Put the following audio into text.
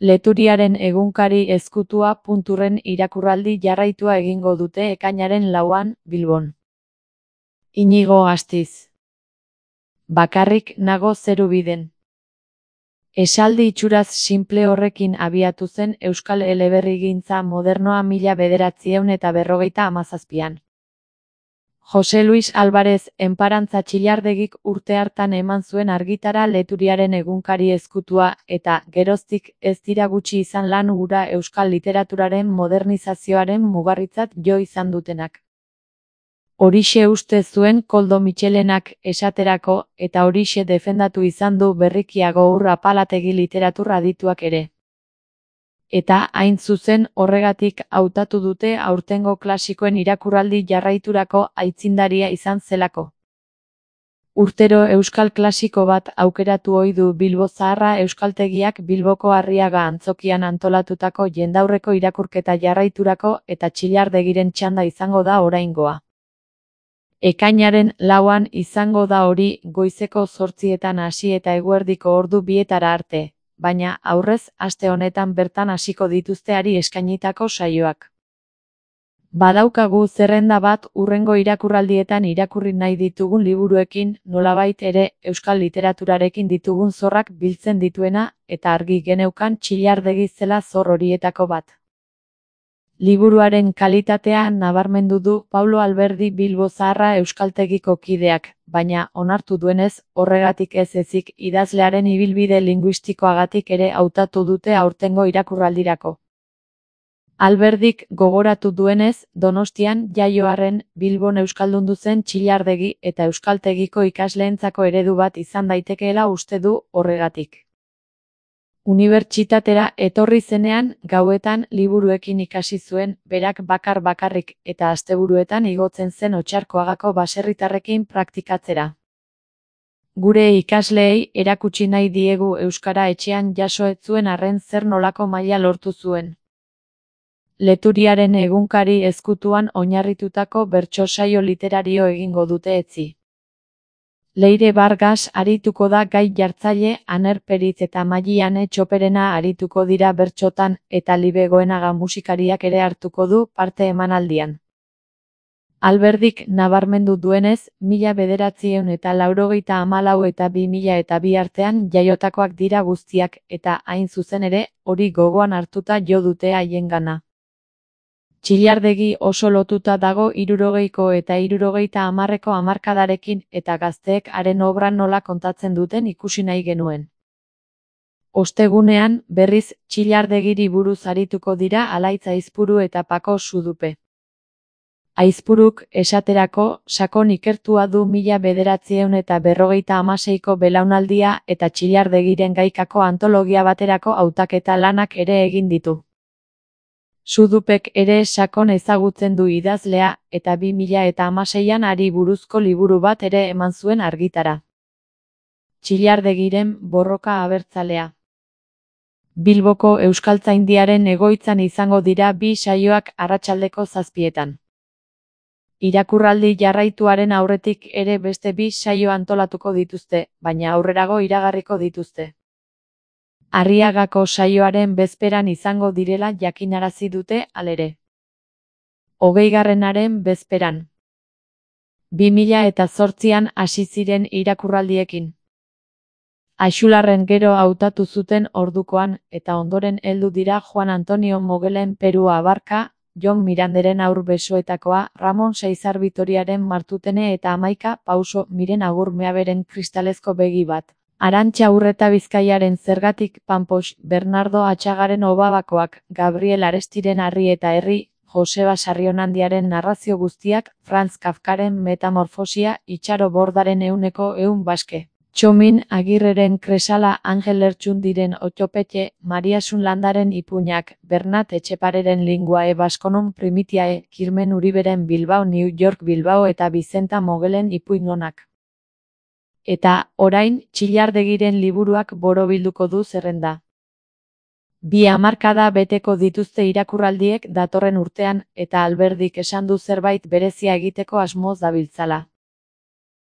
Leturiaren egunkari ezkutua punturren irakurraldi jarraitua egingo dute ekainaren 4an, Bilbon. Inigo Astiz. Bakarrik nago zerubiden. Esaldi itxuraz sinple horrekin abiatu zen euskal eleberrigintza modernoa 1957an. Jose Luis Alvarez enparantza Txillardegik urte hartan eman zuen argitara Leturiaren egunkari ezkutua eta geroztik ez dira gutxi izan lan hura euskal literaturaren modernizazioaren mugarritzat jo izan dutenak. Horixe uste zuen Koldo Mitxelenak esaterako eta horixe defendatu izan du berrikiago Ur Apalategi literatur adituak ere. Eta hain zuzen horregatik hautatu dute aurtengo klasikoen irakurraldi jarraiturako aitzindaria izan zelako. Urtero euskal klasiko bat aukeratu ohi du Bilbo Zaharra Euskaltegiak Bilboko Arriaga antzokian antolatutako jendaurreko irakurketa jarraiturako eta Txillardegiren txanda izango da oraingoa. Ekainaren 4an izango da hori goizeko 8etan hasi eta eguerdiko ordu 2etara arte. Baina aurrez aste honetan bertan hasiko dituzteari eskainitako saioak. Badaukagu zerrenda bat hurrengo irakurraldietan irakurri nahi ditugun liburuekin, nolabait ere euskal literaturarekin ditugun zorrak biltzen dituena eta argi geneukan Txillardegi zela zor horietako bat. Liburuaren kalitatea nabarmendu du Paulo Alberdi Bilbo Zaharra Euskaltegiko kideak, baina onartu duenez, horregatik ez ezik idazlearen ibilbide linguistikoagatik ere hautatu dute aurtengo irakurraldirako. Alberdik gogoratu duenez, Donostian jaioarren Bilbon euskaldundu zen Txillardegi eta Euskaltegiko ikasleentzako eredu bat izan daitekeela uste du horregatik. Unibertsitatera etorri zenean, gauetan liburuekin ikasi zuen, berak bakarrik eta asteburuetan igotzen zen Otxarkoagako baserritarrekin praktikatzera. Gure ikasleei erakutsi nahi diegu euskara etxean jaso ez zuen arren zer nolako maila lortu zuen. Leturiaren egunkari ezkutuan oinarritutako bertso saio literario egingo dute etzi. Leire Vargas arituko da gai jartzaile, Aner Peritz eta Maiane Txoperena arituko dira bertsotan eta Libe Goenaga musikariak ere hartuko du parte emanaldian. Alberdik nabarmendu duenez, 1994 eta 2002 artean jaiotakoak dira guztiak eta hain zuzen ere, hori gogoan hartuta jo dute haiengana. Txillardegi oso lotuta dago 60ko eta 70ko hamarkadarekin eta gazteek haren obra nola kontatzen duten ikusi nahi genuen. Ostegunean, berriz, Txillardegiri buruz arituko dira Alaitz Aizpuru eta Pako Sudupe. Aizpuruk, esaterako, sakon ikertua du 1956ko belaunaldia eta Txillardegiren gaikako antologia baterako hautaketa lanak ere egin ditu. Sudupek ere sakon ezagutzen du idazlea, eta 2016an hari buruzko liburu bat ere eman zuen argitara. Txillardegiren borroka abertzalea. Bilboko Euskaltzaindiaren egoitzan izango dira 2 saioak arratsaldeko 7etan. Irakurraldi jarraituaren aurretik ere beste 2 saio antolatuko dituzte, baina aurrerago iragarriko dituzte. Arriagako saioaren bezperan izango direla jakinarazi dute halere. 20garrenaren bezperan. 2008an hasi ziren irakurraldiekin. Axularren gero hautatu zuten ordukoan eta ondoren heldu dira Juan Antonio Mogelen Peru Abarka, Jon Miranderen Haur besoetakoa, Ramon Saizar Bitoriaren Martutene eta 11 Pauso Miren Agur Meaberen Kristalezko begi bat. Arantxa Urreta Bizkaiaren Zergatik Panpox, Bernardo Atxagaren Obabakoak, Gabriel Arestiren Harri eta Herri, Joseba Sarrionandiaren narrazio guztiak, Franz Kafkaren Metamorfosia, Itxaro Bordaren 100 baske. Txomin Agirreren Kresala, Angel Lertxundiren Otxopetxe, Mariasun Landaren Ipuñak, Bernat Etxepareren Linguae Baskonon Primitiae, Kirmen Uriberen Bilbao New York Bilbao eta Bizenta Mogelen Ipuinonak. Eta, orain, Txillardegiren liburuak borobilduko du zerrenda. 2 hamarkada beteko dituzte irakurraldiek datorren urtean eta Alberdik esan du zerbait berezia egiteko asmoz dabiltzala.